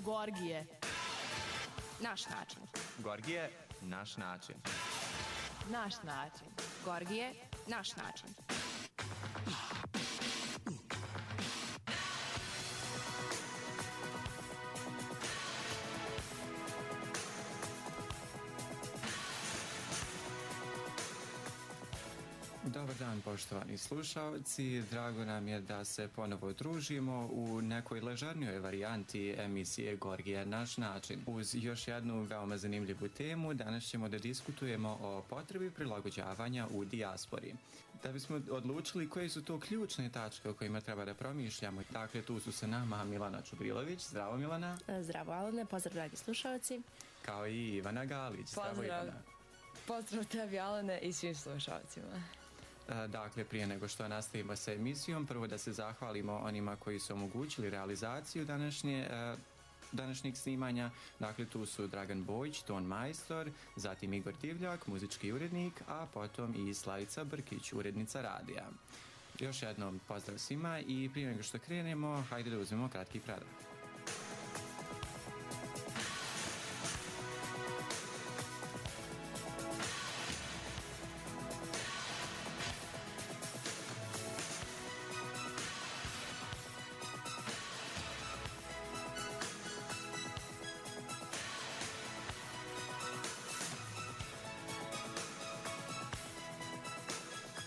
Gorgije. Naš način. Gorgije, naš način. Naš način. Gorgije, naš način. Dobar dan, poštovani slušalci. Drago nam je da se ponovo družimo u nekoj ležernijoj varijanti emisije Gorgije, naš način. Uz još jednu veoma zanimljivu temu, danas ćemo da diskutujemo o potrebi prilagođavanja u dijaspori. Da bismo odlučili koje su to ključne tačke o kojima treba da promišljamo. Dakle, tu su sa nama Milana Čubrilović. Zdravo, Milana. Zdravo, Alene. Pozdrav, dragi slušalci. Kao i Ivana Galić. Zdravo, Ivana. Pozdrav tebi, Alene, i svim slušalcima. Dakle, prije nego što nastavimo sa emisijom, prvo da se zahvalimo onima koji su omogućili realizaciju današnjeg snimanja. Dakle, tu su Dragan Bojić, ton majstor, zatim Igor Divljak, muzički urednik, a potom i Slavica Brkić, urednica radija. Još jednom pozdrav svima i prije nego što krenemo, hajde da uzmemo kratki predah.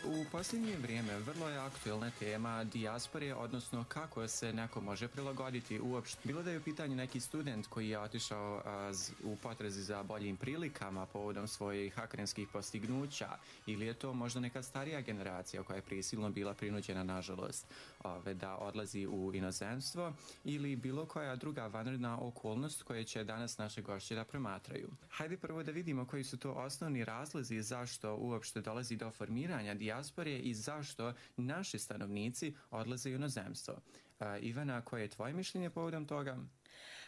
U posljednje vrijeme vrlo je aktuelna tema dijaspore, odnosno kako se neko može prilagoditi uopšte. Bilo da je u pitanju neki student koji je otišao u potrazi za boljim prilikama povodom svojih akademskih postignuća, ili je to možda neka starija generacija koja je prisilno bila prinuđena, nažalost, da odlazi u inozemstvo, ili bilo koja druga vanredna okolnost koje će danas naše gošće da promatraju. Hajde prvo da vidimo koji su to osnovni razlozi zašto uopšte dolazi do formiranja dijaspore i zašto naši stanovnici odlaze u inozemstvo. Ivana, koje je tvoje mišljenje povodom toga?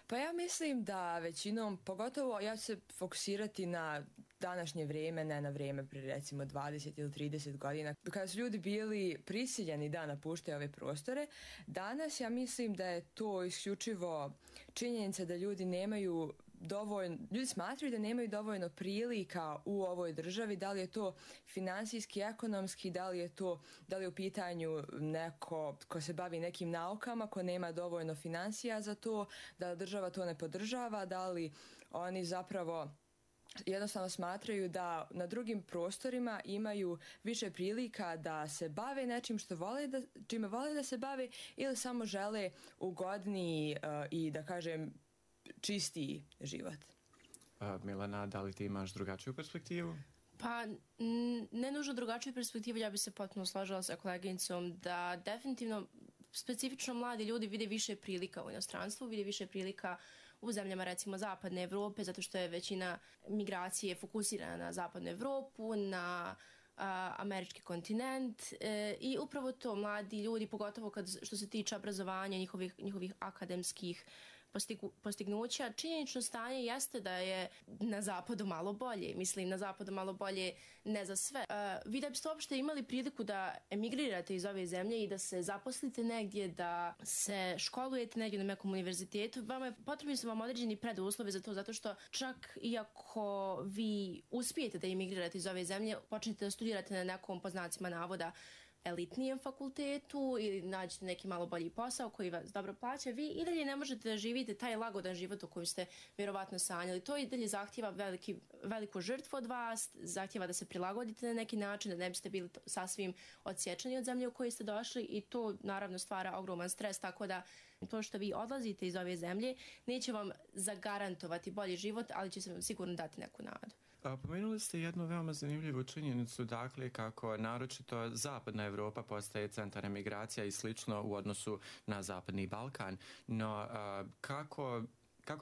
Pa ja mislim da većinom, pogotovo ja ću se fokusirati na današnje vrijeme, ne na vrijeme prije recimo 20 ili 30 godina, kada su ljudi bili prisiljeni da napuštaju ove prostore. Danas ja mislim da je to isključivo činjenica da ljudi nemaju dovoljno, ljudi smatraju da nemaju dovoljno prilika u ovoj državi, da li je to finansijski, ekonomski, da li je u pitanju neko ko se bavi nekim naukama, ko nema dovoljno financija za to, da država to ne podržava, da li oni zapravo jednostavno smatraju da na drugim prostorima imaju više prilika da se bave nečim čime vole da se bave, ili samo žele ugodniji i da kažem čistiji život. Milana, da li ti imaš drugačiju perspektivu? Pa, ne nužno drugačiju perspektivu, ja bi se potpuno složila sa koleginicom da definitivno specifično mladi ljudi vide više prilika u inostranstvu, vide više prilika u zemljama recimo zapadne Evrope, zato što je većina migracije fokusirana na zapadnu Evropu, na američki kontinent i upravo to mladi ljudi, pogotovo što se tiče obrazovanja, njihovih akademskih postignuća. Činjenično stanje jeste da je na zapadu malo bolje. Mislim, na zapadu malo bolje ne za sve. Vi da biste uopšte imali priliku da emigrirate iz ove zemlje i da se zaposlite negdje, da se školujete negdje na nekom univerzitetu, potrebni su vam određeni preduslovi za to, zato što čak i ako vi uspijete da emigrirate iz ove zemlje, počnete da studirate na nekom, po znacima navoda, elitnijem fakultetu ili nađete neki malo bolji posao koji vas dobro plaća, vi i dalje ne možete da živite taj lagodan život o kojem ste vjerovatno sanjali. To i dalje zahtjeva veliku žrtvu od vas, zahtjeva da se prilagodite na neki način, da ne biste bili sasvim odsječeni od zemlje u kojoj ste došli, i to naravno stvara ogroman stres, tako da to što vi odlazite iz ove zemlje neće vam zagarantovati bolji život, ali će se vam sigurno dati neku nadu. Pomenuli ste jednu veoma zanimljivu činjenicu, dakle kako naročito zapadna Evropa postaje centar emigracija i slično u odnosu na zapadni Balkan, no kako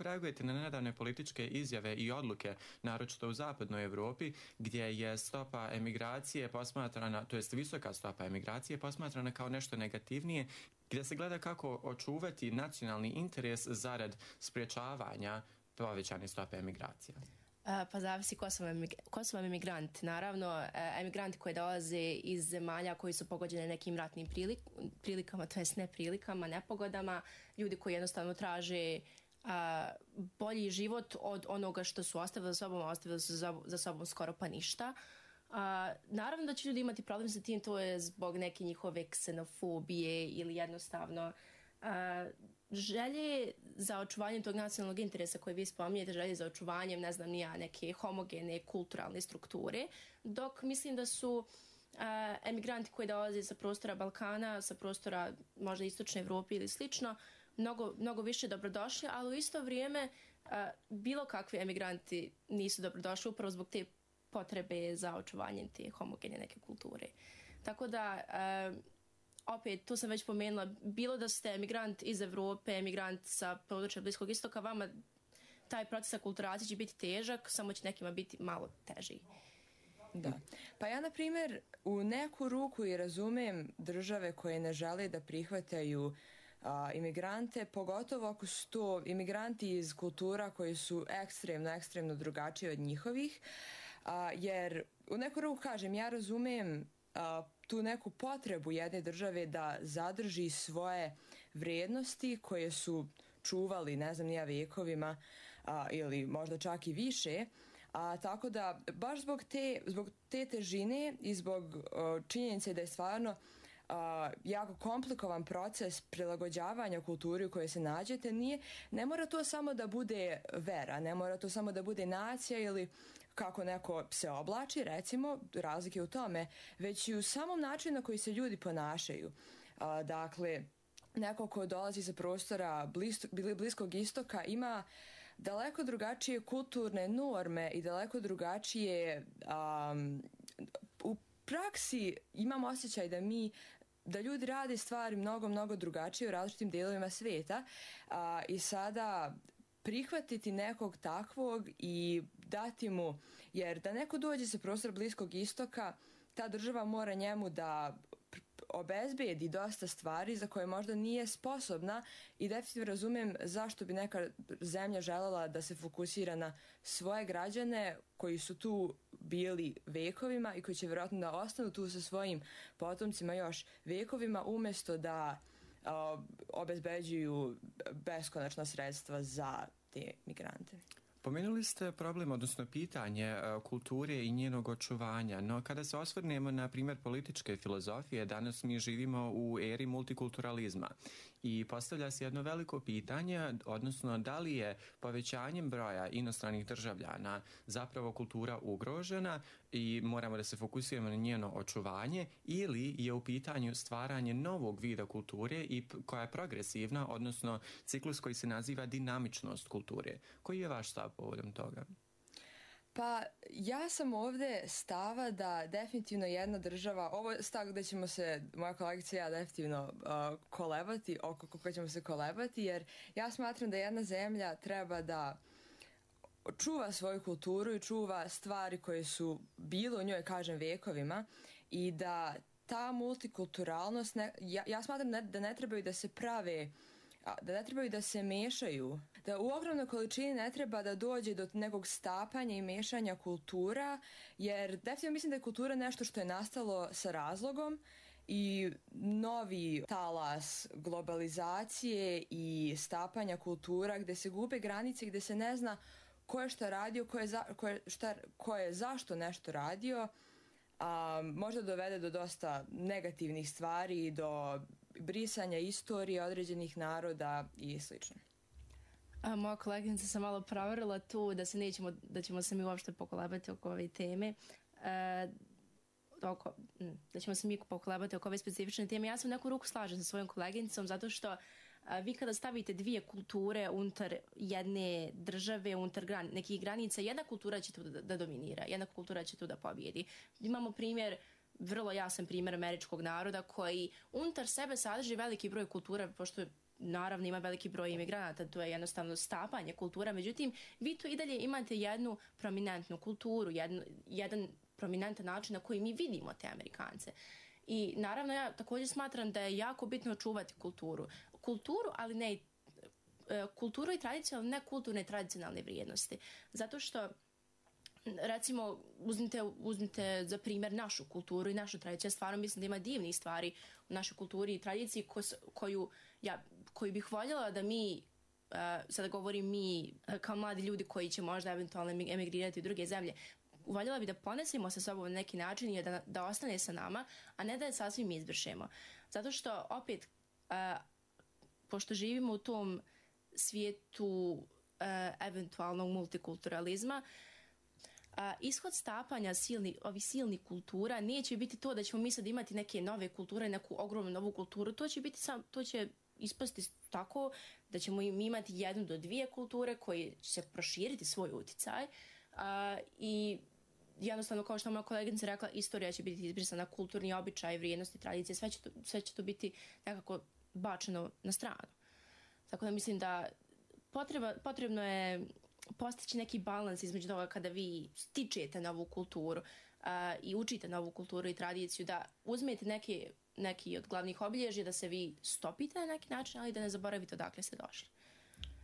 reagujete na nedavne političke izjave i odluke, naročito u zapadnoj Evropi, gdje je stopa emigracije posmatrana, to jest visoka stopa emigracije posmatrana kao nešto negativnije, gdje se gleda kako očuvati nacionalni interes zarad sprječavanja povećane stope emigracija? Pa zavisi ko su vam emigranti. Naravno, emigranti koji dolaze iz zemalja koji su pogođene nekim ratnim prilikama, to jest neprilikama, nepogodama, ljudi koji jednostavno traže bolji život od onoga što su ostavili za sobom, a ostavili su za sobom skoro pa ništa. Naravno da će ljudi imati problem sa tim, to je zbog neke njihove ksenofobije ili jednostavno želje za očuvanjem tog nacionalnog interesa koje vi spominjete, želje za očuvanjem, ne znam, neke homogene kulturalne strukture, dok mislim da su emigranti koji dolaze sa prostora Balkana, sa prostora možda Istočne Evrope ili slično, mnogo više dobrodošli, ali u isto vrijeme bilo kakvi emigranti nisu dobrodošli upravo zbog te potrebe za očuvanjem te homogene neke kulture. Tako da, opet, to sam već pomenula, bilo da ste emigrant iz Evrope, emigrant sa područja Bliskog istoka, vama taj proces akulturacije će biti težak, samo će nekima biti malo teži. Da. Pa ja, na primjer, u neku ruku i razumem države koje ne žele da prihvataju imigrante, pogotovo ako su to imigranti iz kultura koji su ekstremno drugačiji od njihovih, jer u neku ruku kažem, ja razumem tu neku potrebu jedne države da zadrži svoje vrijednosti koje su čuvali, ne znam, nija vekovima ili možda čak i više, tako da baš zbog te težine i zbog činjenice da je stvarno jako komplikovan proces prilagođavanja kulturi u kojoj se nađete, ne mora to samo da bude vera, ne mora to samo da bude nacija ili kako neko se oblači, recimo, razlike u tome, već i u samom načinu na koji se ljudi ponašaju. Dakle, neko ko dolazi sa prostora Bliskog istoka ima daleko drugačije kulturne norme i daleko drugačije u praksi imam osjećaj da ljudi rade stvari mnogo drugačije u različitim dijelovima svijeta i sada prihvatiti nekog takvog i dati mu, jer da neko dođe sa prostora Bliskog istoka, ta država mora njemu da obezbedi dosta stvari za koje možda nije sposobna i definitivno razumem zašto bi neka zemlja željela da se fokusira na svoje građane koji su tu bili vekovima i koji će vjerojatno da ostanu tu sa svojim potomcima još vekovima umjesto da obezbeđuju beskonačna sredstva za te migrante. Pomenuli ste problem, odnosno pitanje kulture i njenog očuvanja, no kada se osvrnemo na primjer političke filozofije, danas mi živimo u eri multikulturalizma i postavlja se jedno veliko pitanje, odnosno da li je povećanjem broja inostranih državljana zapravo kultura ugrožena i moramo da se fokusiramo na njeno očuvanje, ili je u pitanju stvaranje novog vida kulture i koja je progresivna, odnosno ciklus koji se naziva dinamičnost kulture. Koji je vaš stav povodom toga? Pa ja sam ovdje stava da definitivno jedna država, ovo je stav gdje ćemo se, moja kolegica i ja definitivno kolebati, oko koga ćemo se kolebati, jer ja smatram da jedna zemlja treba da čuva svoju kulturu i čuva stvari koje su bilo u njoj, kažem, vekovima i da ta multikulturalnost, ja smatram da ne trebaju da se prave, da ne trebaju da se mešaju, da u ogromnoj količini ne treba da dođe do nekog stapanja i mešanja kultura, jer definitivno mislim da je kultura nešto što je nastalo sa razlogom i novi talas globalizacije i stapanja kultura gdje se gube granice, gdje se ne zna ko je šta radio, ko je zašto nešto radio, možda dovede do dosta negativnih stvari, do brisanja istorije određenih naroda i sl. Moja koleginica se malo proverila tu da ćemo se mi uopšte pokolebati oko ove teme. Da ćemo se mi pokolebati oko ove specifične teme. Ja sam u neku ruku slažem sa svojom koleginicom zato što vi kada stavite dvije kulture unutar jedne države, unutar nekih granica, jedna kultura će tu da dominira, jedna kultura će tu da pobjedi. Imamo primjer, vrlo jasan primjer američkog naroda koji unutar sebe sadrži veliki broj kultura, pošto naravno ima veliki broj imigranata, to je jednostavno stapanje kultura, međutim vi tu i dalje imate jednu prominentnu kulturu, jedan prominentan način na koji mi vidimo te Amerikance. I naravno ja također smatram da je jako bitno čuvati kulturu, ali ne kulturu i tradiciju, ali ne kulturne i tradicionalne vrijednosti. Zato što recimo uzmite za primjer našu kulturu i našu tradiciju. Ja stvarno mislim da ima divnih stvari u našoj kulturi i tradiciji koju bih voljela da mi sada govorim mi kao mladi ljudi koji će možda eventualno emigrirati u druge zemlje, voljela bi da ponesimo sa sobom na neki način i da ostane sa nama, a ne da je sasvim izbrišemo. Zato što opet, pošto živimo u tom svijetu eventualnog multikulturalizma, ishod stapanja ovih silnih kultura neće biti to da ćemo mi sad imati neke nove kulture, neku ogromnu novu kulturu. To će ispasti tako da ćemo imati 1 do 2 kulture koje će se proširiti svoj uticaj i jednostavno, kao što moja koleginica rekla, istorija će biti izbrisana, kulturni običaj, vrijednosti, tradicije, sve će to biti nekako bačeno na stranu. Tako da mislim da potrebno je postići neki balans između toga kada vi stičete novu kulturu i učite novu kulturu i tradiciju, da uzmete neki od glavnih obilježja, da se vi stopite na neki način, ali da ne zaboravite odakle ste došli.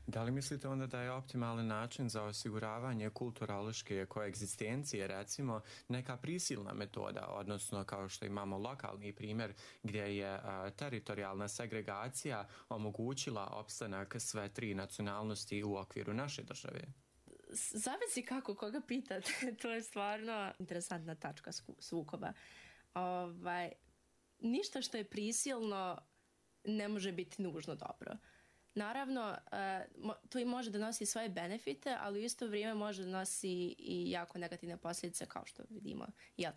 Da li mislite onda da je optimalan način za osiguravanje kulturološke koegzistencije, recimo, neka prisilna metoda, odnosno kao što imamo lokalni primjer gdje je teritorijalna segregacija omogućila opstanak sve 3 nacionalnosti u okviru naše države? Zavisi kako, koga pitate. To je stvarno interesantna tačka sukoba. Ništa što je prisilno ne može biti nužno dobro. Naravno, to i može da nosi svoje benefite, ali u isto vrijeme može da nosi i jako negativne posljedice, kao što vidimo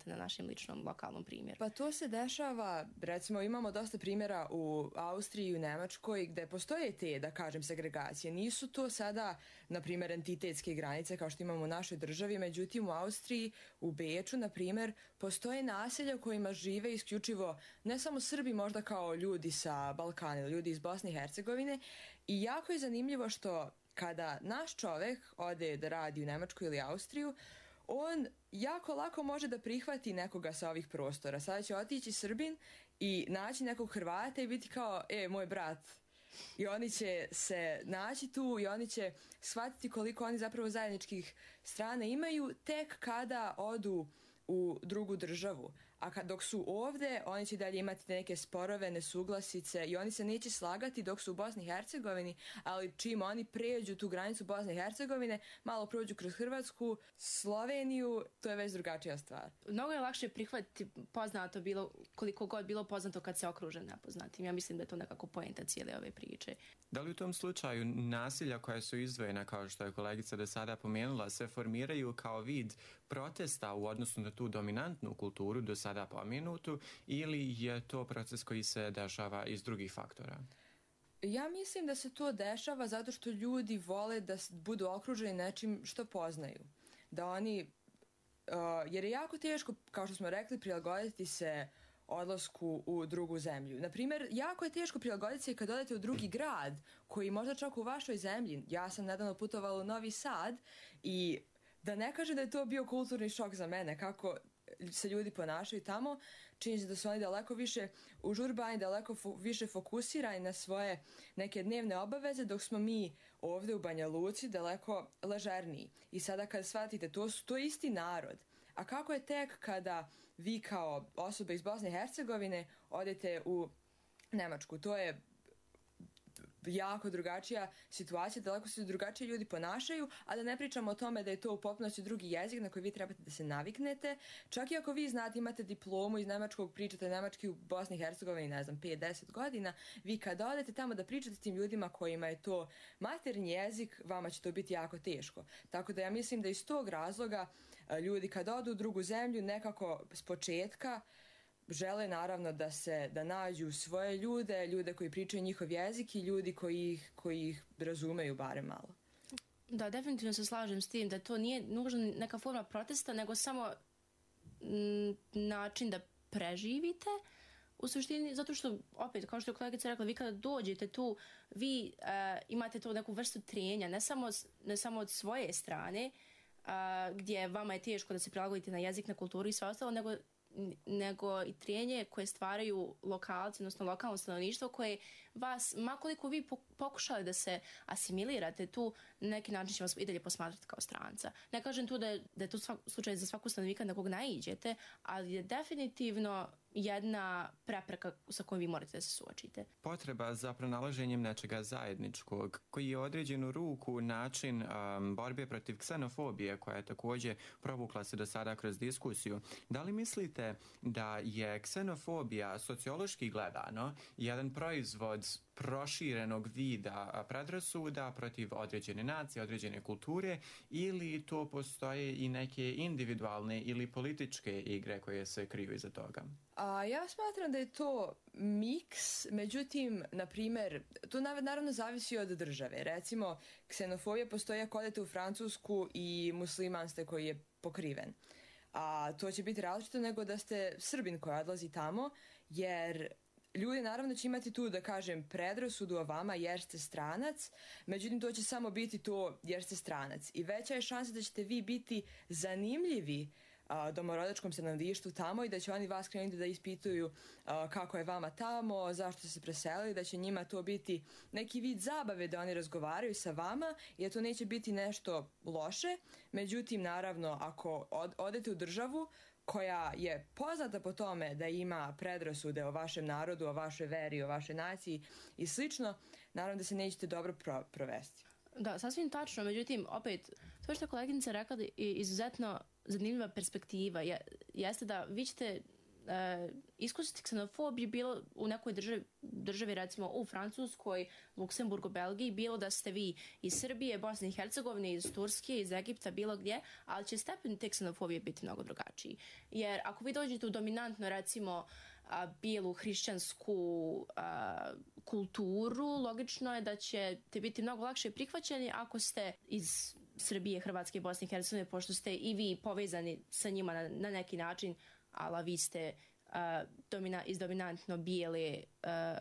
na našem ličnom lokalnom primjeru. Pa to se dešava, recimo imamo dosta primjera u Austriji i u Nemačkoj gdje postoje te, da kažem, segregacije. Nisu to sada, na primjer, entitetske granice kao što imamo u našoj državi, međutim u Austriji, u Beču, na primjer, postoje naselja u kojima žive isključivo ne samo Srbi, možda kao ljudi sa Balkana ili ljudi iz Bosne i Hercegovine. I jako je zanimljivo što kada naš čovjek ode da radi u Nemačku ili Austriju, on jako lako može da prihvati nekoga sa ovih prostora. Sada će otići Srbin i naći nekog Hrvata i biti kao, moj brat. I oni će se naći tu i oni će shvatiti koliko oni zapravo zajedničkih strana imaju tek kada odu u drugu državu. A dok su ovdje, oni će dalje imati neke sporove, nesuglasice i oni se neće slagati dok su u Bosni i Hercegovini, ali čim oni pređu tu granicu Bosne i Hercegovine, malo prođu kroz Hrvatsku, Sloveniju, to je već drugačija stvar. Mnogo je lakše prihvatiti poznato bilo, koliko god bilo poznato kad se okruže nepoznatim. Ja mislim da je to nekako poenta cijele ove priče. Da li u tom slučaju nasilja koja su izdvojena, kao što je kolegica do sada pomenula, se formiraju kao vid protesta u odnosu na tu dominantnu kulturu do sada pomenutu, ili je to proces koji se dešava iz drugih faktora? Ja mislim da se to dešava zato što ljudi vole da budu okruženi nečim što poznaju. Da oni, jer je jako teško, kao što smo rekli, prilagoditi se odlasku u drugu zemlju. Naprimjer, jako je teško prilagoditi se kad odete u drugi grad, koji možda čak u vašoj zemlji. Ja sam nedavno putovala u Novi Sad i da ne kažem da je to bio kulturni šok za mene, kako se ljudi ponašaju tamo, čini se da su oni daleko više užurbani, daleko više fokusirani na svoje neke dnevne obaveze, dok smo mi ovdje u Banja Luci daleko ležerniji. I sada kad shvatite, to je isti narod. A kako je tek kada vi kao osoba iz Bosne i Hercegovine odete u Nemačku? To je jako drugačija situacija, daleko se drugačije ljudi ponašaju, a da ne pričamo o tome da je to u potpunosti drugi jezik na koji vi trebate da se naviknete. Čak i ako vi znate, imate diplomu iz nemačkog, pričate nemački u Bosni i Hercegovini, 5-10 godina, vi kada odete tamo da pričate s tim ljudima kojima je to maternji jezik, vama će to biti jako teško. Tako da ja mislim da iz tog razloga ljudi kada odu u drugu zemlju nekako s početka žele naravno da nađu svoje ljude koji pričaju njihov jezik i ljudi koji ih razumeju barem malo. Da, definitivno se slažem s tim da to nije nužno neka forma protesta, nego samo način da preživite u suštini, zato što, opet, kao što je kolegica rekla, vi kada dođete tu, vi imate tu neku vrstu trenja, ne samo od svoje strane, gdje vama je teško da se prilagodite na jezik, na kulturu i sve ostalo, nego i trenje koje stvaraju lokalci, odnosno lokalno stanovništvo koje vas, makoliko vi pokušali da se asimilirate tu, na neki način će vas i dalje posmatrati kao stranca. Ne kažem tu da je to slučaj za svaku stanovnika na kog naiđete, ali je definitivno jedna prepreka sa kojom vi morate da se suočite. Potreba za pronalaženjem nečega zajedničkog, koji je određenu ruku način borbe protiv ksenofobije, koja je također provukla se do sada kroz diskusiju. Da li mislite da je ksenofobija sociološki gledano jedan proizvod proširenog vida predrasuda protiv određene nacije, određene kulture, ili to postoje i neke individualne ili političke igre koje se kriju iza toga? Ja smatram da je to miks, međutim, na primjer, to naravno zavisi od države. Recimo, ksenofobija postoji ako odete u Francusku i musliman ste koji je pokriven. A to će biti različito nego da ste Srbin koji odlazi tamo, jer ljudi naravno će imati tu, da kažem, predrasudu o vama jer ste stranac, međutim to će samo biti to jer ste stranac. I veća je šansa da ćete vi biti zanimljivi domorodačkom stanovništvu tamo i da će oni vas krenuti da ispituju kako je vama tamo, zašto ste se preselili, da će njima to biti neki vid zabave da oni razgovaraju sa vama i da to neće biti nešto loše. Međutim, naravno, ako odete u državu koja je poznata po tome da ima predrasude o vašem narodu, o vašoj veri, o vašoj naciji i slično, naravno da se nećete dobro provesti. Da, sasvim tačno, međutim, opet, to što je koleginica rekla je izuzetno zanimljiva perspektiva. Jeste da vi ćete iskusiti ksenofobiju bilo u nekoj državi, recimo u Francuskoj, Luksemburgu, Belgiji, bilo da ste vi iz Srbije, Bosne i Hercegovine, iz Turske, iz Egipta, bilo gdje, ali će stepen te ksenofobije biti mnogo drugačiji. Jer ako vi dođete u dominantno, recimo, bijelu hrišćansku kulturu, logično je da ćete biti mnogo lakše prihvaćeni ako ste iz Srbije, Hrvatske, Bosne i Hercegovine, pošto ste i vi povezani sa njima na neki način, ali vi ste iz dominantno bijele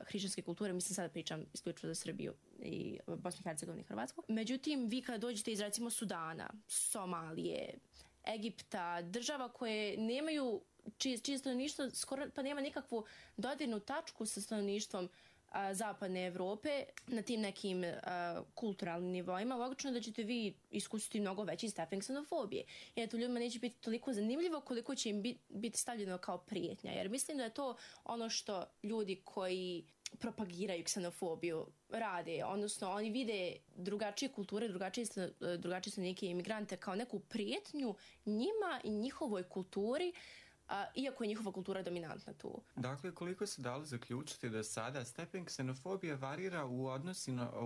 hrišćanske kulture, mislim sada pričam isključivo za Srbiju i Bosnu i Hercegovinu i Hrvatsku. Međutim, vi kada dođete iz recimo Sudana, Somalije, Egipta, država koje nemaju čije stanovništvo skoro pa nema nikakvu dodirnu tačku sa stanovništvom zapadne Evrope na tim nekim kulturalnim nivoima, logično je da ćete vi iskusiti mnogo veći stepen ksenofobije. Jer to ljudima neće biti toliko zanimljivo koliko će im biti stavljeno kao prijetnja. Jer mislim da je to ono što ljudi koji propagiraju ksenofobiju rade, odnosno oni vide drugačije kulture, drugačije stanovnike i imigrante kao neku prijetnju njima i njihovoj kulturi, iako je njihova kultura dominantna tu. Dakle, koliko se dalo zaključiti da sada stepen ksenofobije varira u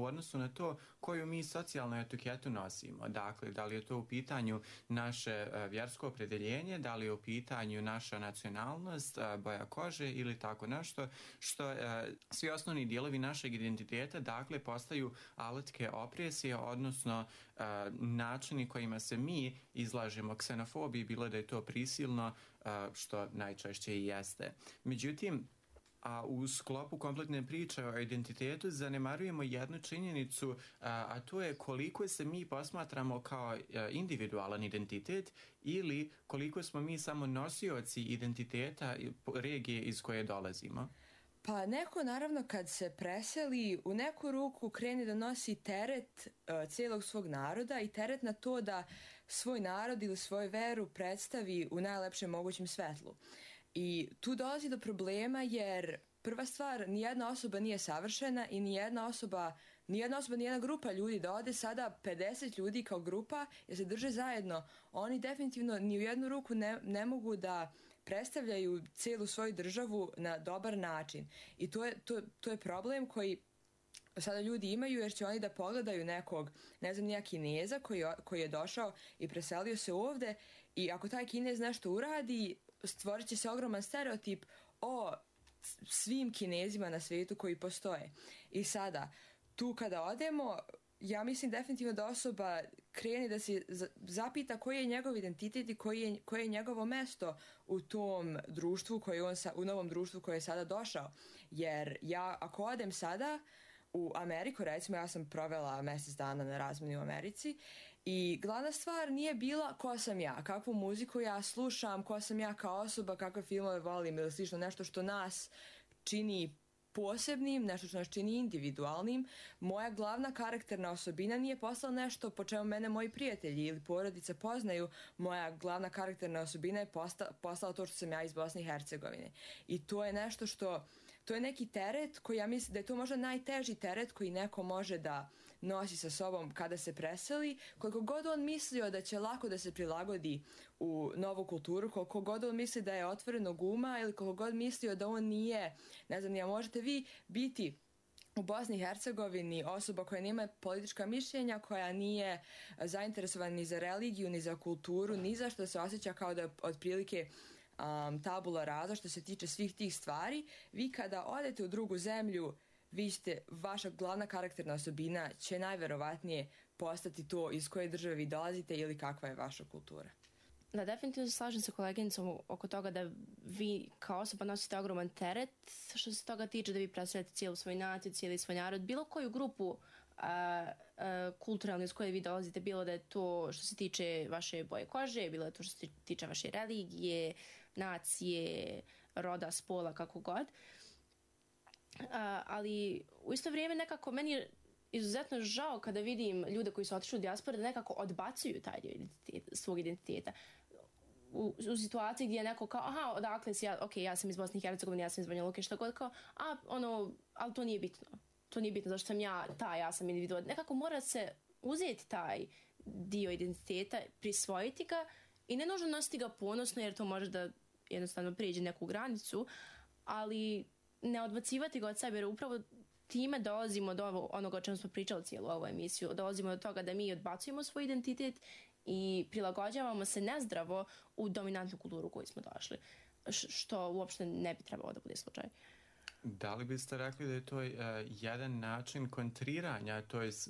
odnosu na to koju mi socijalnu etiketu nosimo. Dakle, da li je to u pitanju naše vjersko opredjeljenje, da li je u pitanju naša nacionalnost, boja kože ili tako nešto, što svi osnovni dijelovi našeg identiteta, dakle, postaju alatke opresije, odnosno načini kojima se mi izlažemo ksenofobiji, bilo da je to prisilno, što najčešće i jeste. Međutim, u sklopu kompletne priče o identitetu zanemarujemo jednu činjenicu, a to je koliko se mi posmatramo kao individualan identitet ili koliko smo mi samo nosioci identiteta regije iz koje dolazimo. Pa neko naravno kad se preseli u neku ruku krene da nosi teret cijelog svog naroda i teret na to da svoj narod ili svoju veru predstavi u najlepšem mogućem svetlu. I tu dolazi do problema jer prva stvar, nijedna osoba nije savršena i nijedna grupa ljudi da ode sada 50 ljudi kao grupa jer se drže zajedno. Oni definitivno ni u jednu ruku ne mogu da predstavljaju cijelu svoju državu na dobar način. I to je problem koji sada ljudi imaju jer će oni da pogledaju nekog, ne znam, nija Kineza koji je došao i preselio se ovde i ako taj Kinez nešto uradi, stvorit će se ogroman stereotip o svim Kinezima na svijetu koji postoje. I sada, tu kada odemo, ja mislim definitivno da osoba krene da se zapita koji je njegov identitet i koje je njegovo mesto u tom društvu, u novom društvu koje je sada došao. Jer ja ako odem sada u Ameriku, recimo ja sam provela mjesec dana na razmjeni u Americi i glavna stvar nije bila ko sam ja, kakvu muziku ja slušam, ko sam ja kao osoba, kakve filmove volim ili slično, nešto što nas čini posebnim, nešto što nas čini individualnim. Moja glavna karakterna osobina nije postala nešto po čemu mene moji prijatelji ili porodica poznaju. Moja glavna karakterna osobina je postala to što sam ja iz Bosne i Hercegovine. I to je nešto što, to je neki teret koji ja mislim da je to možda najteži teret koji neko može da nosi sa sobom kada se preseli, koliko god on mislio da će lako da se prilagodi u novu kulturu, koliko god on misli da je otvorenog uma ili koliko god mislio da on nije, ne znam, možete vi biti u Bosni i Hercegovini osoba koja nema politička mišljenja, koja nije zainteresovana ni za religiju, ni za kulturu, ni za što se osjeća kao da je otprilike tabula rasa što se tiče svih tih stvari. Vi kada odete u drugu zemlju, vaša glavna karakterna osobina će najverovatnije postati to iz koje države vi dolazite ili kakva je vaša kultura. Da, definitivno se slažem sa koleginicom oko toga da vi kao osoba nosite ogroman teret što se toga tiče, da vi predstavljate cijelu svoju naciju, cijeli svoj narod, bilo koju grupu kulturalno iz koje vi dolazite, bilo da je to što se tiče vaše boje kože, bilo da je to što se tiče vaše religije, nacije, roda, spola, kako god. Ali u isto vrijeme nekako meni je izuzetno žao kada vidim ljude koji su otišli u dijasporu da nekako odbacuju taj dio svog identiteta. U situaciji gdje je neko kao, aha, odakle si ja, ok, ja sam iz Bosne i Hercegovine, ja sam iz Banja Luke, što god, kao, ali to nije bitno. To nije bitno zašto sam ja sam individual. Nekako mora se uzeti taj dio identiteta, prisvojiti ga i ne nužno nositi ga ponosno jer to može da jednostavno prijeđe neku granicu, ali ne odbacivati ga od sebe jer upravo time dolazimo do onoga o čemu smo pričali cijelu ovu emisiju. Dolazimo do toga da mi odbacujemo svoj identitet i prilagođavamo se nezdravo u dominantnu kulturu u koju smo došli, što uopšte ne bi trebalo da bude slučaj. Da li biste rekli da je to jedan način kontriranja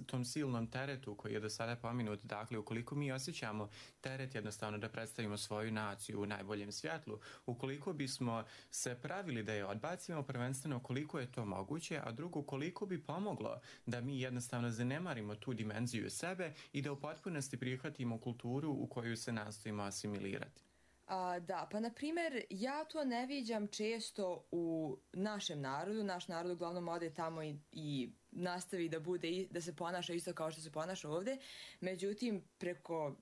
tom silnom teretu koji je do sada pominut? Dakle, ukoliko mi osjećamo teret jednostavno da predstavimo svoju naciju u najboljem svjetlu, ukoliko bismo se pravili da je odbacimo, prvenstveno koliko je to moguće, a drugo koliko bi pomoglo da mi jednostavno zanemarimo tu dimenziju sebe i da u potpunosti prihvatimo kulturu u koju se nastojimo asimilirati. Da, pa na primjer ja to ne viđam često u našem narodu. Naš narod uglavnom ode tamo i nastavi da se ponaša isto kao što se ponaša ovdje. Međutim, preko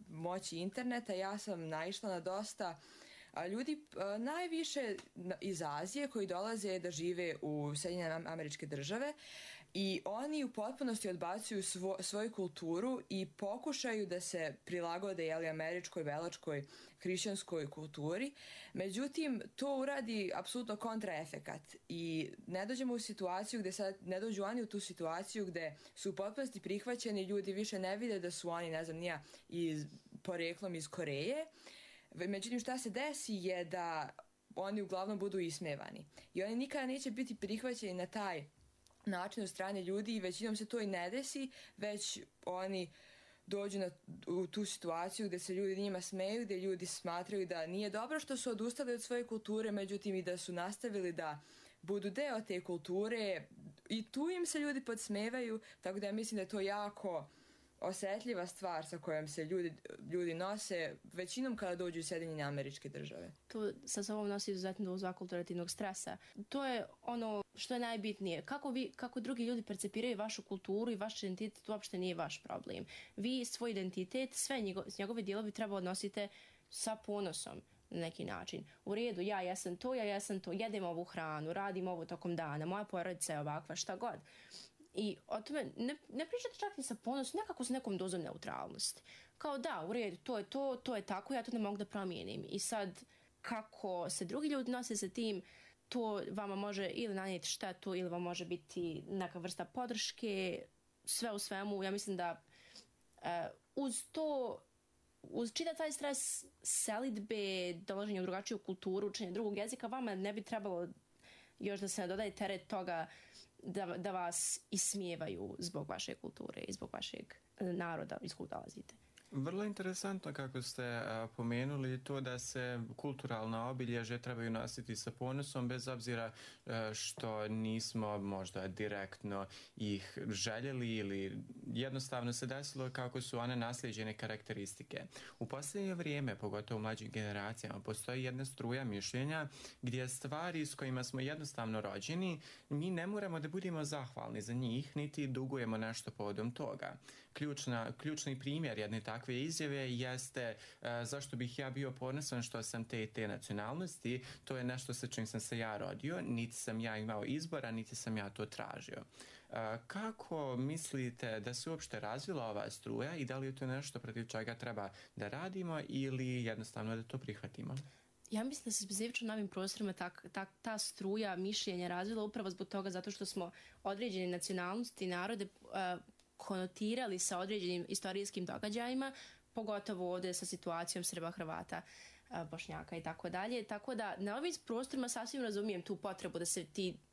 moći interneta ja sam naišla na dosta ljudi, najviše iz Azije koji dolaze da žive u Sjedinjene Američke Države i oni u potpunosti odbacuju svoju kulturu i pokušaju da se prilagode američkoj, velačkoj, hrišćanskoj kulturi. Međutim, to uradi apsolutno kontraefekat i ne dođemo u situaciju gdje sad ne dođu oni u tu situaciju gdje su u potpunosti prihvaćeni, ljudi više ne vide da su oni, ne znam, poreklom iz Koreje. Međutim, šta se desi je da oni uglavnom budu ismevani i oni nikada neće biti prihvaćeni na taj način od strane ljudi i većinom se to i ne desi, već oni dođu u tu situaciju gdje se ljudi njima smeju, gdje ljudi smatraju da nije dobro što su odustali od svoje kulture, međutim i da su nastavili da budu deo te kulture i tu im se ljudi podsmevaju, tako da ja mislim da je to jako osjetljiva stvar sa kojom se ljudi nose većinom kada dođu u Sjedinjene Američke Države. To sa sobom nosi izuzetno dozu akulturativnog stresa. To je ono što je najbitnije. Kako drugi ljudi percepiraju vašu kulturu i vaš identitet, to uopšte nije vaš problem. Vi svoj identitet, sve njegove dijelovi treba odnosite sa ponosom na neki način. U redu, ja jesam to, jedem ovu hranu, radim ovo tokom dana, moja porodica je ovakva, šta god. I o tome ne pričate čak ni sa ponosom, nekako s nekom dozom neutralnosti. Kao da, u redu, to je tako, ja to ne mogu da promijenim. I sad, kako se drugi ljudi nose sa tim, to vama može ili nanijeti štetu ili vam može biti neka vrsta podrške, sve u svemu. Ja mislim da uz čitav taj stres selidbe, dolaženja u drugačiju kulturu, učenje drugog jezika, vama ne bi trebalo još da se dodaje teret toga da vas ismijevaju zbog vaše kulture i zbog vašeg naroda iz kojeg dolazite. Vrlo interesantno kako ste pomenuli to da se kulturalna obilježja trebaju nositi sa ponosom bez obzira što nismo možda direktno ih željeli ili jednostavno se desilo kako su one naslijeđene karakteristike. U posljednje vrijeme, pogotovo u mlađim generacijama, postoji jedna struja mišljenja gdje stvari s kojima smo jednostavno rođeni, mi ne moramo da budemo zahvalni za njih, niti dugujemo nešto povodom toga. Ključni primjer jedne takve izjave jeste zašto bih ja bio ponosan što sam te nacionalnosti, to je nešto sa čim sam se ja rodio, niti sam ja imao izbora, niti sam ja to tražio. Kako mislite da se uopšte razvila ova struja i da li je to nešto protiv čega treba da radimo ili jednostavno da to prihvatimo? Ja mislim da se specifično na ovim prostorima ta struja mišljenja razvila upravo zbog toga zato što smo određene nacionalnosti i narode konotirali sa određenim istorijskim događajima, pogotovo ovdje sa situacijom Srba, Hrvata, Bošnjaka i tako dalje. Tako da na ovim prostorima sasvim razumijem tu potrebu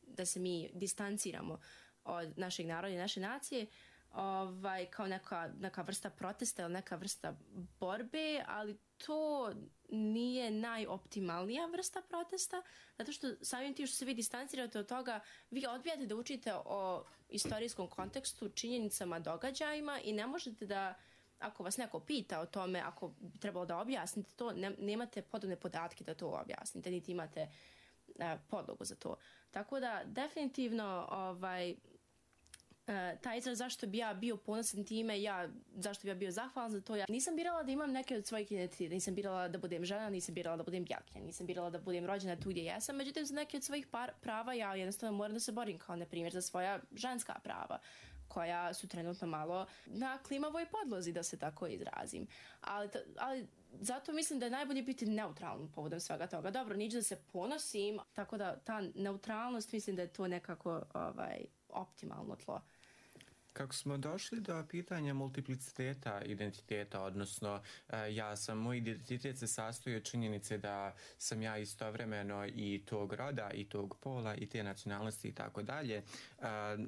da se mi distanciramo od našeg naroda i naše nacije, kao neka vrsta protesta ili neka vrsta borbe, ali to nije najoptimalnija vrsta protesta, zato što samim tim što se vi distancirate od toga, vi odbijate da učite o istorijskom kontekstu, činjenicama, događajima i ne možete da, ako vas neko pita o tome, ako bi trebalo da objasnite to, nemate podobne podatke da to objasnite, niti imate podlogu za to. Tako da, definitivno, taj izraz zašto bi ja bio ponosan time, zašto bi ja bio zahvalan za to, ja nisam birala da imam neke od svojih identiteta, nisam birala da budem žena, nisam birala da budem bjelkinja, nisam birala da budem rođena tu gdje jesam, međutim za neke od svojih prava ja jednostavno moram da se borim, kao na primjer za svoja ženska prava, koja su trenutno malo na klimavoj podlozi, da se tako izrazim. Ali zato mislim da je najbolje biti neutralan povodom svega toga. Dobro, niđe da se ponosim, tako da ta neutralnost mislim da je to nekako optimalno tlo. Kako smo došli do pitanja multipliciteta identiteta, odnosno moj identitet se sastoji od činjenice da sam ja istovremeno i tog roda, i tog pola, i te nacionalnosti i tako dalje.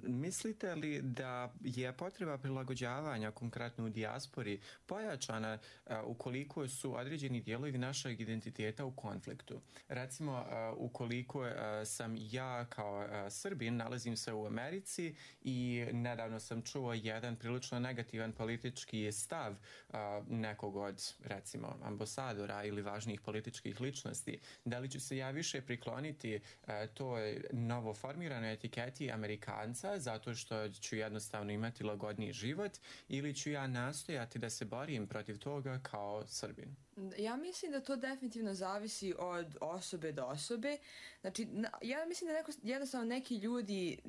Mislite li da je potreba prilagođavanja, konkretno u dijaspori, pojačana ukoliko su određeni dijelovi našeg identiteta u konfliktu? Recimo, ukoliko sam ja kao Srbin, nalazim se u Americi i nedavno sam čuo jedan prilično negativan politički stav nekog od, recimo, ambasadora ili važnijih političkih ličnosti. Da li ću se ja više prikloniti toj novoformiranoj etiketi Amerikanca zato što ću jednostavno imati lagodniji život ili ću ja nastojati da se borim protiv toga kao Srbin? Ja mislim da to definitivno zavisi od osobe do osobe. Znači, ja mislim da jednostavno neki ljudi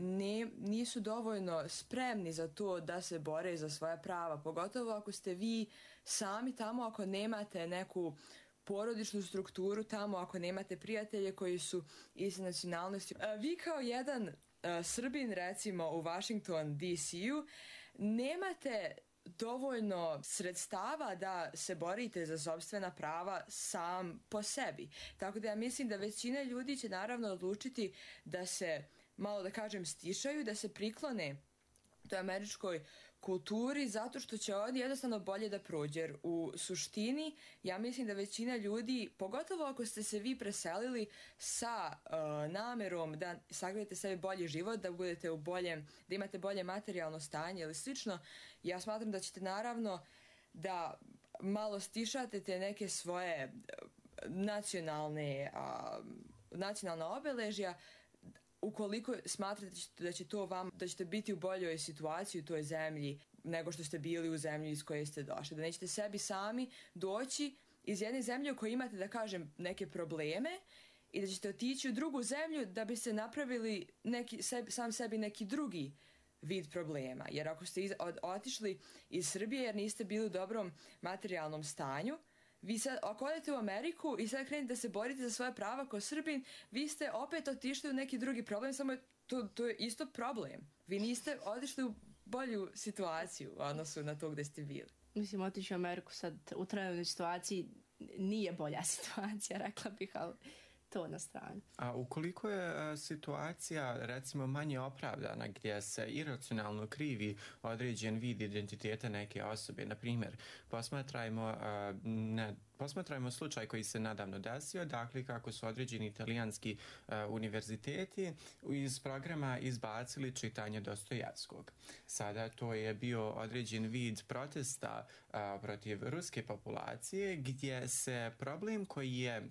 nisu dovoljno spremni za to da se bore za svoja prava. Pogotovo ako ste vi sami tamo, ako nemate neku porodičnu strukturu tamo, ako nemate prijatelje koji su iste nacionalnosti. Vi kao jedan Srbin, recimo u Washington DC-u, nemate dovoljno sredstava da se borite za sopstvena prava sam po sebi. Tako da ja mislim da većina ljudi će naravno odlučiti da se, malo da kažem, stišaju, da se priklone toj američkoj kulturi zato što će oni jednostavno bolje da prođe. Jer u suštini ja mislim da većina ljudi, pogotovo ako ste se vi preselili sa namerom da sagledate sebi bolji život, da budete da imate bolje materijalno stanje ili slično, ja smatram da ćete naravno da malo stišate te neke svoje nacionalna obeležja ukoliko smatrate da će to da ćete biti u boljoj situaciji u toj zemlji nego što ste bili u zemlji iz koje ste došli. Da nećete sebi sami doći iz jedne zemlje u kojoj imate, da kažem, neke probleme i da ćete otići u drugu zemlju da biste napravili sam sebi neki drugi vid problema. Jer ako ste otišli iz Srbije jer niste bili u dobrom materijalnom stanju, vi sad, ako odete u Ameriku i sad krenete da se borite za svoje prava kao Srbin, vi ste opet otišli u neki drugi problem, samo to je isto problem. Vi niste otišli u bolju situaciju u odnosu na to gde ste bili. Mislim, otići u Ameriku sad u trenutnoj situaciji nije bolja situacija, rekla bih, ali to na stranu. A ukoliko je situacija recimo manje opravdana gdje se iracionalno krivi određen vid identiteta neke osobe, na primjer, posmatrajmo slučaj koji se nedavno desio, dakle kako su određeni italijanski univerziteti iz programa izbacili čitanje Dostojevskog. Sada to je bio određen vid protesta protiv ruske populacije gdje se problem koji je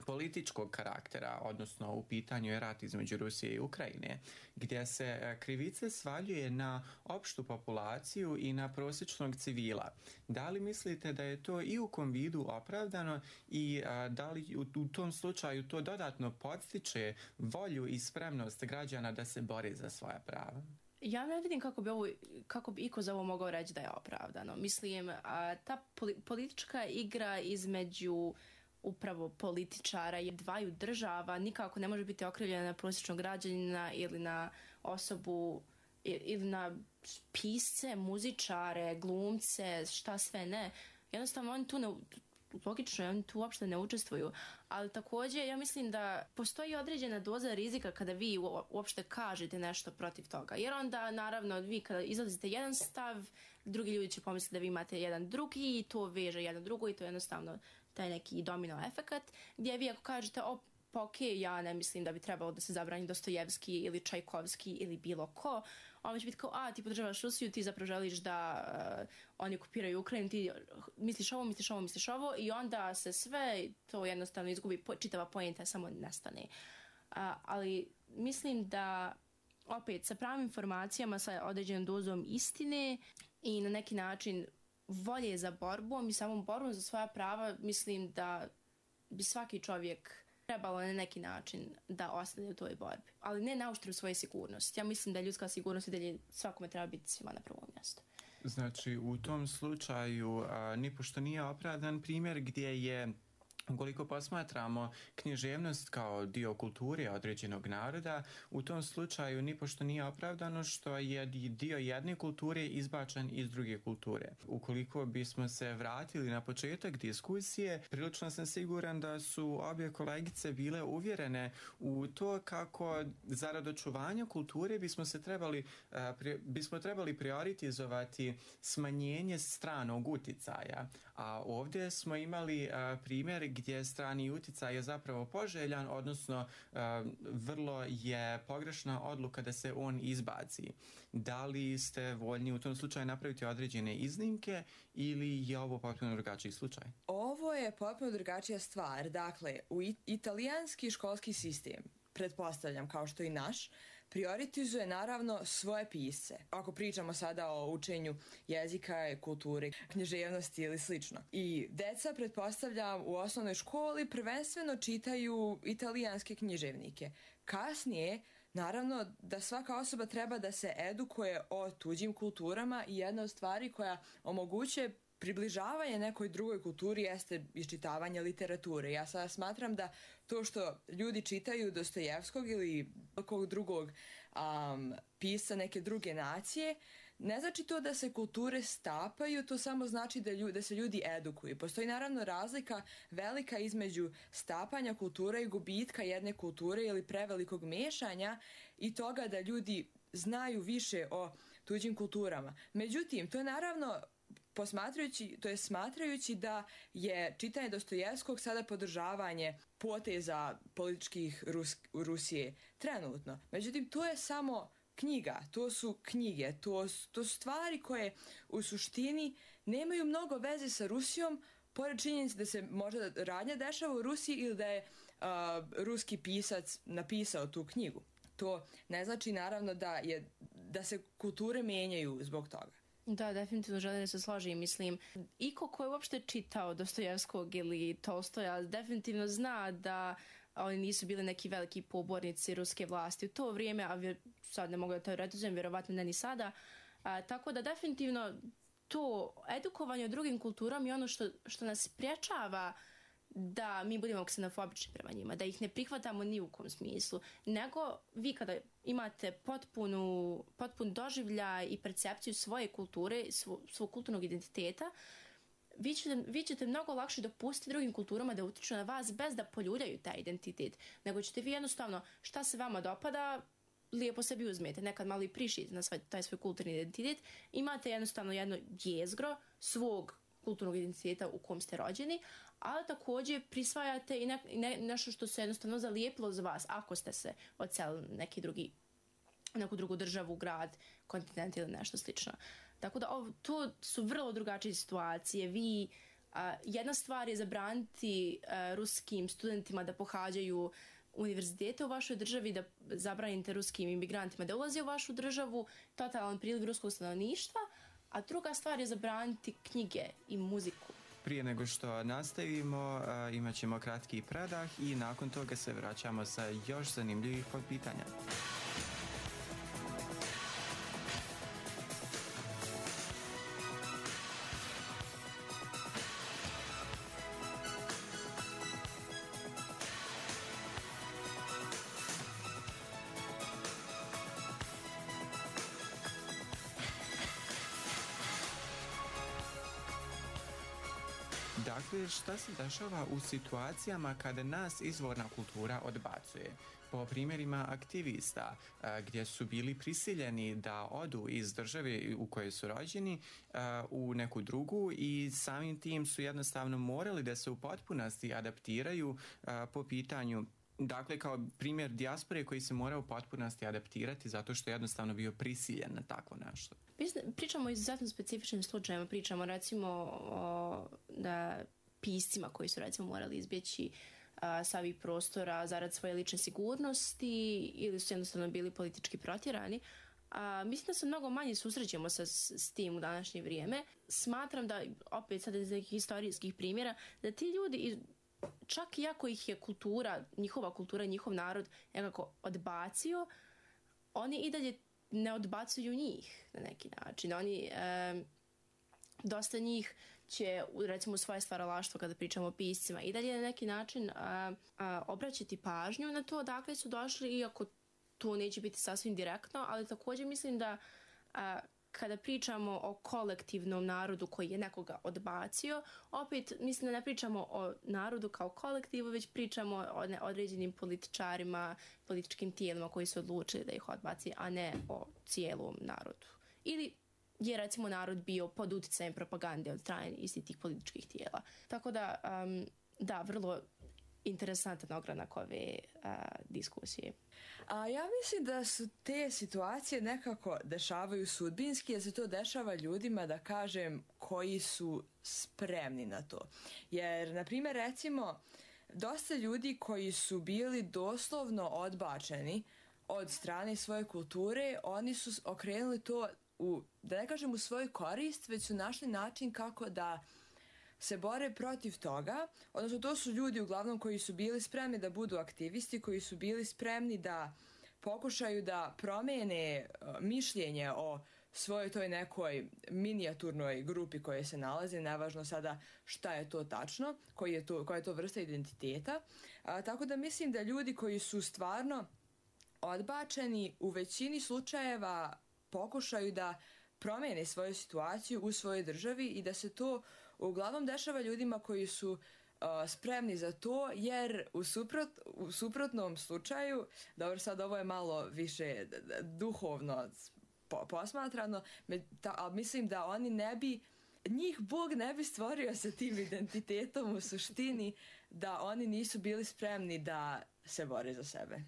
političkog karaktera, odnosno u pitanju je rat između Rusije i Ukrajine, gdje se krivice svaljuje na opštu populaciju i na prosječnog civila. Da li mislite da je to i u kom vidu opravdano i da li u tom slučaju to dodatno podstiče volju i spremnost građana da se bore za svoja prava? Ja ne vidim kako bi iko za ovo mogao reći da je opravdano. Mislim, ta politička igra između upravo političara i dvaju država nikako ne može biti okrivljena na prosječnog građanina ili na osobu ili na pisce, muzičare, glumce, šta sve ne. Jednostavno oni tu logično, oni tu uopšte ne učestvuju. Ali također ja mislim da postoji određena doza rizika kada vi uopšte kažete nešto protiv toga. Jer onda naravno vi kada izlazite jedan stav, drugi ljudi će pomisliti da vi imate jedan drugi i to veže jedno drugo i to je jednostavno taj neki domino efekat, gdje vi ako kažete ja ne mislim da bi trebalo da se zabrani Dostojevski ili Čajkovski ili bilo ko, on će biti kao, ti podržavaš Rusiju, ti zapravo želiš da oni okupiraju Ukrajinu, ti misliš ovo i onda se sve to jednostavno izgubi, čitava poenta samo nestane. Ali mislim da opet sa pravim informacijama, sa određenom dozom istine i na neki način volje za borbom i samom borbom za svoja prava, mislim da bi svaki čovjek trebalo na neki način da ostane u toj borbi. Ali ne na uštrb svoje sigurnosti. Ja mislim da ljudska sigurnost i dalje svakome treba biti svima na prvom mjestu. Znači, u tom slučaju nipošto nije opravdan primjer gdje je, ukoliko posmatramo književnost kao dio kulture određenog naroda, u tom slučaju nipošto nije opravdano što je dio jedne kulture izbačen iz druge kulture. Ukoliko bismo se vratili na početak diskusije, prilično sam siguran da su obje kolegice bile uvjerene u to kako zarad očuvanja kulture bismo trebali prioritizovati smanjenje stranog uticaja. A ovdje smo imali primjer gdje strani uticaj je zapravo poželjan, odnosno vrlo je pogrešna odluka da se on izbaci. Da li ste voljni u tom slučaju napraviti određene iznimke ili je ovo potpuno drugačiji slučaj? Ovo je potpuno drugačija stvar. Dakle, u italijanski školski sistem, pretpostavljam kao što i naš, prioritizuje naravno svoje pisce. Ako pričamo sada o učenju jezika, kulture, književnosti ili slično. I deca, pretpostavljam, u osnovnoj školi prvenstveno čitaju italijanske književnike. Kasnije, naravno da svaka osoba treba da se edukuje o tuđim kulturama i jedna od stvari koja omogućuje približavanje nekoj drugoj kulturi jeste iščitavanje literature. Ja sada smatram da to što ljudi čitaju Dostojevskog ili nekog drugog pisca neke druge nacije, ne znači to da se kulture stapaju, to samo znači da se ljudi edukuju. Postoji naravno razlika velika između stapanja kulture i gubitka jedne kulture ili prevelikog mešanja i toga da ljudi znaju više o tuđim kulturama. Međutim, to je naravno smatrajući da je čitanje Dostojevskog sada podržavanje poteza političkih Rusije trenutno. Međutim, to je samo knjiga, to su knjige, to su stvari koje u suštini nemaju mnogo veze sa Rusijom, pored činjenice da se možda radnja dešava u Rusiji ili da je ruski pisac napisao tu knjigu. To ne znači naravno da se kulture mijenjaju zbog toga. Da, definitivno želim da se složim. Mislim, iko ko je uopšte čitao Dostojevskog ili Tolstoja definitivno zna da oni nisu bili neki veliki pobornici ruske vlasti u to vrijeme, a sad ne mogu da teoretizujem, vjerovatno ne ni sada. Tako da definitivno to edukovanje o drugim kulturama je ono što nas sprječava da mi budemo ksenofobični prema njima, da ih ne prihvatamo ni u kom smislu, nego vi kada imate potpun doživljaj i percepciju svoje kulture, svog kulturnog identiteta, vi ćete mnogo lakše dopustiti drugim kulturama da utiču na vas bez da poljuljaju taj identitet, nego ćete vi jednostavno šta se vama dopada, lijepo sebi uzmete, nekad malo i prišijete na taj svoj kulturni identitet, imate jednostavno jedno jezgro svog kulturnog identiteta u kom ste rođeni, ali također prisvajate i nešto što se jednostavno zalijepilo za vas ako ste se odselili neku drugu državu, grad, kontinent ili nešto slično. Tako da to su vrlo drugačije situacije. Jedna stvar je zabraniti ruskim studentima da pohađaju univerzitete u vašoj državi, da zabranite ruskim imigrantima da ulaze u vašu državu, totalan priliv ruskog stanovništva, a druga stvar je zabraniti knjige i muziku. Prije nego što nastavimo, imat ćemo kratki predah i nakon toga se vraćamo sa još zanimljivih pitanja. Dakle, šta se dešava u situacijama kada nas izvorna kultura odbacuje? Po primjerima aktivista, gdje su bili prisiljeni da odu iz države u kojoj su rođeni u neku drugu i samim tim su jednostavno morali da se u potpunosti adaptiraju po pitanju. Dakle, kao primjer dijaspore koji se mora u potpunosti adaptirati zato što je jednostavno bio prisiljen na takvo nešto. Pričamo o izuzetno specifičnim slučajima, pričamo recimo o piscima koji su recimo morali izbjeći sa ovih prostora zarad svoje lične sigurnosti ili su jednostavno bili politički protjerani. Mislim da se mnogo manje susrećemo s tim u današnje vrijeme. Smatram da, opet sad iz nekih historijskih primjera, da ti ljudi, čak i ako ih je njihova kultura, njihov narod nekako odbacio, oni i dalje ne odbacuju njih na neki način. Dosta njih će, recimo, svoje stvaralaštvo, kada pričamo o piscima, i dalje na neki način obraćati pažnju na to odakle su došli, iako to neće biti sasvim direktno, ali također mislim da kada pričamo o kolektivnom narodu koji je nekoga odbacio, opet mislim da ne pričamo o narodu kao kolektivu, već pričamo o određenim političarima, političkim tijelima koji su odlučili da ih odbaci, a ne o cijelom narodu. Ili je recimo narod bio pod utjecajem propagande od strane istih tih političkih tijela. Tako da, vrlo interesantan ogranak ove diskusije. Ja mislim da su te situacije nekako dešavaju sudbinski, jer se to dešava ljudima, da kažem, koji su spremni na to. Jer, na primjer, recimo, dosta ljudi koji su bili doslovno odbačeni od strane svoje kulture, oni su okrenuli to da ne kažem u svoju korist, već su našli način kako da se bore protiv toga. Odnosno, to su ljudi uglavnom koji su bili spremni da budu aktivisti, koji su bili spremni da pokušaju da promijene mišljenje o svojoj toj nekoj minijaturnoj grupi koje se nalaze, nevažno sada šta je to tačno, koja je to vrsta identiteta. Tako da mislim da ljudi koji su stvarno odbačeni u većini slučajeva pokušaju da promijene svoju situaciju u svojoj državi i da se to uglavnom dešava ljudima koji su spremni za to, jer u suprotnom slučaju, dobro, sad ovo je malo više duhovno posmatrano, ali mislim da njih Bog ne bi stvorio sa tim identitetom u suštini, da oni nisu bili spremni da se bore za sebe.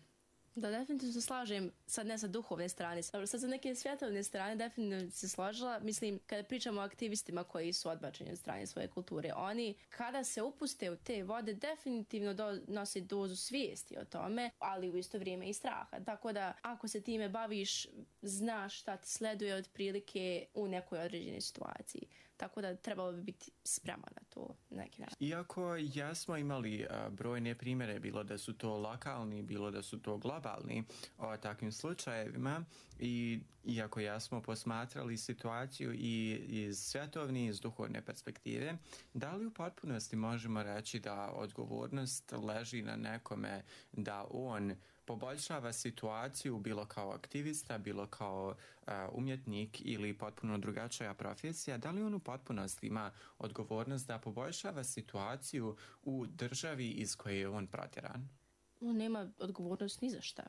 Da, definitivno se slažem, sad ne sa duhovne strane, sad sa neke svjetovne strane definitivno se složila. Mislim, kada pričamo o aktivistima koji su odbačeni od strane svoje kulture, oni kada se upuste u te vode definitivno nose dozu svijesti o tome, ali u isto vrijeme i straha. Tako da ako se time baviš, znaš šta ti sleduje otprilike u nekoj određenoj situaciji. Tako da trebalo bi biti spreman na to na neki način. Iako jesmo imali brojne primjere, bilo da su to lokalni, bilo da su to globalni o takvim slučajevima, i iako jesmo posmatrali situaciju i iz svjetovne i iz duhovne perspektive, da li u potpunosti možemo reći da odgovornost leži na nekome da on poboljšava situaciju bilo kao aktivista, bilo kao umjetnik ili potpuno drugačija profesija, da li on u potpunosti ima odgovornost da poboljšava situaciju u državi iz koje je on protjeran? On nema odgovornost ni za šta.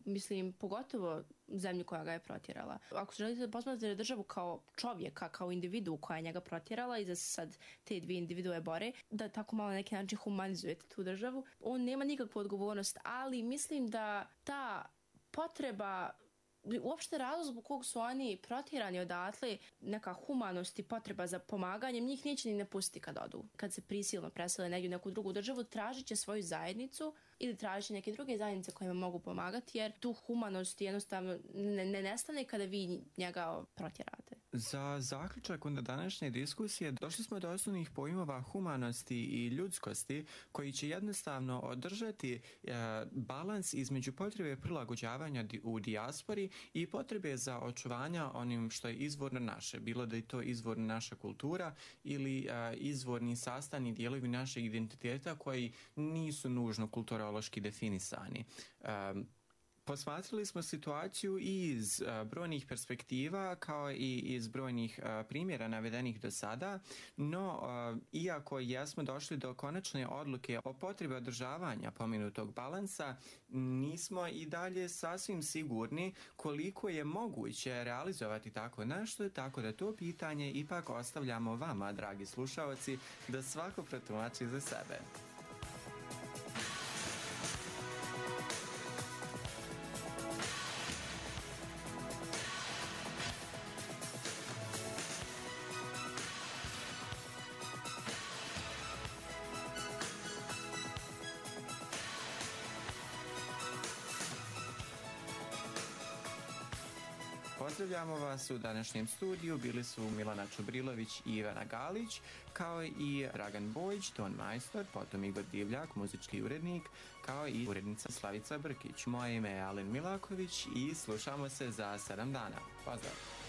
Mislim, pogotovo zemlju koja ga je protjerala. Ako želite da posmatrate državu kao čovjeka, kao individu koja je njega protjerala i da se sad te dvije individue bore, da tako malo na neki način humanizujete tu državu, on nema nikakvu odgovornost, ali mislim da ta potreba, uopšte razlog zbog kog su oni protjerani odatle, neka humanost i potreba za pomaganjem, njih neće ni ne pustiti kad odu. Kad se prisilno presele negdje u neku drugu državu, tražit će svoju zajednicu ili tražit će neke druge zajednice kojima mogu pomagati, jer tu humanost jednostavno ne nestane kada vi njega protjerate. Za zaključak onda današnje diskusije došli smo do osnovnih pojmova humanosti i ljudskosti koji će jednostavno održati balans između potrebe prilagođavanja u dijaspori i potrebe za očuvanja onim što je izvorno naše, bilo da je to izvorna naša kultura ili izvorni sastavni dijelovi našeg identiteta koji nisu nužno kulturološki definisani. Posmatrali smo situaciju iz brojnih perspektiva kao i iz brojnih primjera navedenih do sada, no iako jesmo došli do konačne odluke o potrebi održavanja pomenutog balansa, nismo i dalje sasvim sigurni koliko je moguće realizovati tako nešto, tako da to pitanje ipak ostavljamo vama, dragi slušaoci, da svako protumači za sebe. Pozdravljamo vas u današnjem studiju, bili su Milana Čubrilović i Ivana Galić, kao i Dragan Bojić, ton majstor, potom Igor Divljak, muzički urednik, kao i urednica Slavica Brkić. Moje ime je Alen Milaković i slušamo se za 7 dana. Pozdrav!